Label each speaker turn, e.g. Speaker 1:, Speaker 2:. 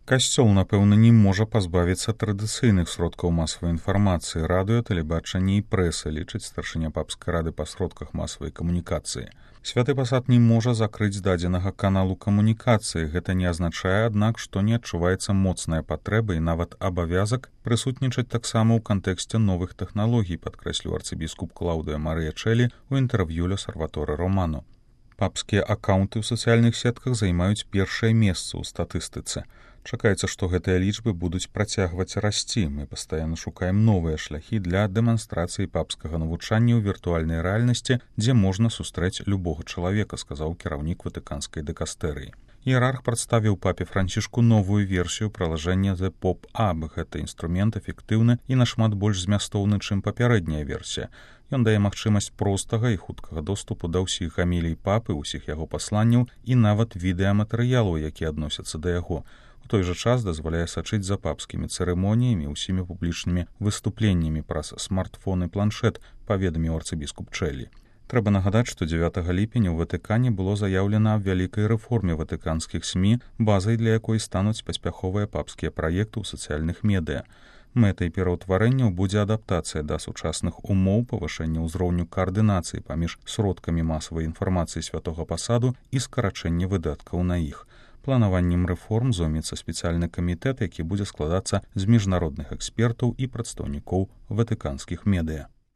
Speaker 1: Касцёл, напэўна, не можа пазбавіцца традыцыйных сродкаў масавай інфармацыі, радыё, тэлебачання і прэса, лічыць старшыня папскай рады па сродках масавай камунікацыі. Святы пасад не можа закрыць дадзенага каналу камунікацыі. Гэта не азначае, аднак, што не адчуваецца моцная патрэба і нават абавязак прысутнічаць таксама ў кантэксце новых тэхналогій, падкрэсліў арцыбіскуп Клаўдыя Марыя Чэлі ў інтэрв'ю ля Сальваторе Романо. Папскія акаунты ў сацыяльных сетках займаюць першае месца ў статыстыцы. Чакаецца, што гэтыя лічбы будуць працягваць расці. Мы пастаянна шукаем новыя шляхі для дэманстрацыі папскага навучання ў віртуальнай рэальнасці, дзе можна сустрэць любога чалавека, сказаў кіраўнік ватыканскай дэкастэрыі. Іерарх прадставіў папе Францішку новую версію прылажэння The Pop-Up. Гэты інструмент эфектыўны і нашмат больш змястоўны, чым папярэдняя версія. Ён дае магчымасць простага і хуткага доступу да ўсіх гамілій папы, усіх яго пасланняў і нават відэаматэрыялаў, якія адносяцца да яго. У той жа час дазваляе сачыць за папскімі цырымоніямі, усімі публічнымі выступленнямі праз смартфон і планшет, паведаміў арцыбіскуп Чэлі. Трэба нагадаць, што 9 ліпеня ў Ватыкане было заяўлена аб вялікай рэформе ватыканскіх СМІ, базай для якой стануць паспяховыя папскія праекты ў сацыяльных медыа. Мэтай пераўтварэнняў будзе адаптацыя да сучасных умоў, павышэння ўзроўню каардынацыі паміж сродкамі масавай інфармацыі святога пасаду і скарачэння выдаткаў на іх. Планаваннем рэформ зоймецца спецыяльны камітэт, які будзе складацца з міжнародных экспертаў і прадстаўнікоў ватыканскіх медыа.